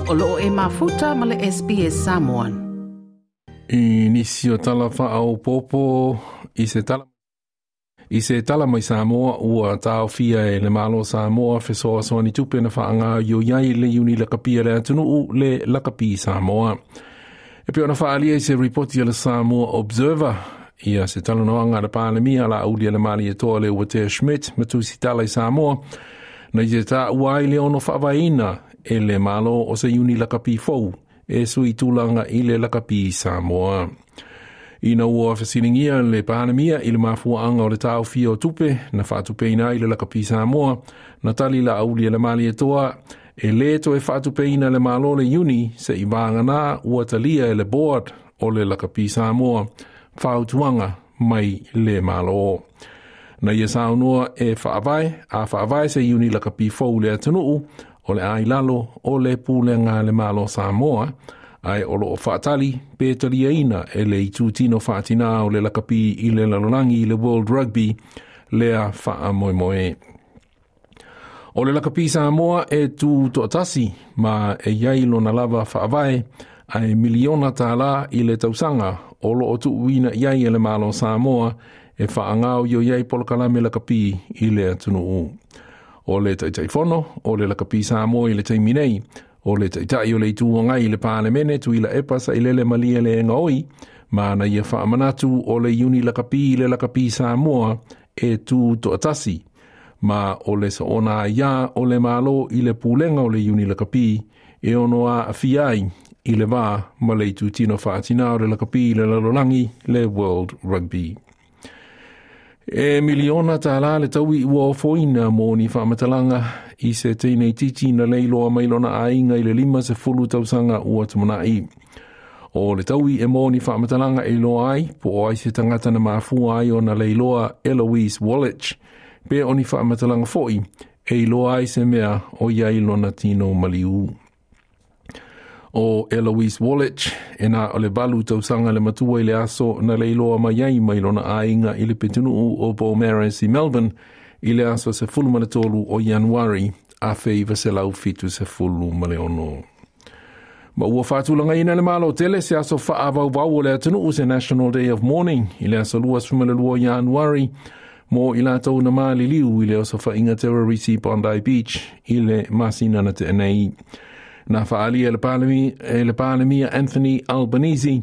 O loo e mafuta ma le SBS Samoan. I nisi o tala faaopoopo i se tala I se tala mai Samoa ua taofia e le Malo Samoa fesoasoani tupe na faagaoioi ai le iuni lakapi a le atunuu le lakapi Samoa. E pei ona faaalia i se ripoti a le Samoa Observer ia se talanoaga a le Palemia Laaulialemalietoa Leuatea Schmidt ma Tusitala i Samoa na ia taua ai le ono faavaeina e le Malo o se iuni lakapi fou e sui tulaga i le lakapi Samoa. Ina ua fesiligia le Palemia i le mafuaaga o le taofia o tupe na faatupeina ai le lakapi Samoa, na tali Laaulialemalietoa e lē toe faatupeina le Malo le iuni se'i vagana ua talia e le board o le lakapi Samoa fautuaga mai le Malo. Na ia saunoa e faavae, a faavae se iuni lakapi fou i le atunuu, o le a i lalo o le pulega a le Malo Samoa, ae o loo faatali pe taliaina e le itutino faatinā o le lakapi i le lalolagi le World Rugby lea faamoemoe. O le lakapi Samoa e tu toatasi ma e i ai lona lava faavae ae miliona tālā i le tausaga o loo tuuina i ai e le Malo Samoa e faagaoioi ai polokalame lakapi i le atunuu. O le Taitaifono o le Lakapi Samoa i le taimi nei, o le Taitai o le Itu Agai i le Palemene Tuilaepa Sailele Malielegaoi, ma na ia faamanatu o le iuni lakapi i le Lakapi Samoa e tu toatasi, ma o le soona aiā o le Malo i le pulega o le iuni lakapi e ono aafia ai i le va ma le itutino faatinā o le lakapi i le lalolagi le World Rugby. E miliona tālā le taui ua ofoina mo ni faamatalaga i se teineitiiti na leiloa mai lona aiga i le 50 tausaga ua tumanai. O le taui e mo ni faamatalaga e iloa ai po o ai se tagata na mafua ai ona leiloa Eloise Wallich, pe o ni faamatalaga foi e iloa ai se mea o i ai lona tino maliu. O Eloise Wallich, e na o le 8 tausaga le matua i le aso na leiloa mai ai mai lona aiga i le pitonuu o Beaumaris i Melbourne i le aso 13 o Ianuari 1976. Ma ua faatulagaina e le Malo tele se aso faavauvau o le atunuu se National Day of Mourning i le aso 22 Ianuari mo i latou na maliliu i le osofaiga terrorisi Bondi Beach i le masina na tea nei. Na faaalia e le Palemia Anthony Albanese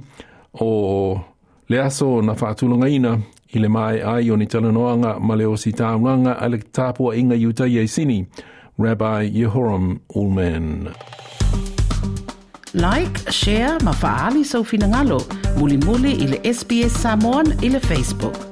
o le aso na faatulagaina i le maea ai o ni talanoaga ma le ositaulaga a le tapuaiga Iutaia i Sini, Rabbi Yehoram Ullman. Like, share ma faaali sou finagalo mulimuli i le SBS Samoan i le Facebook.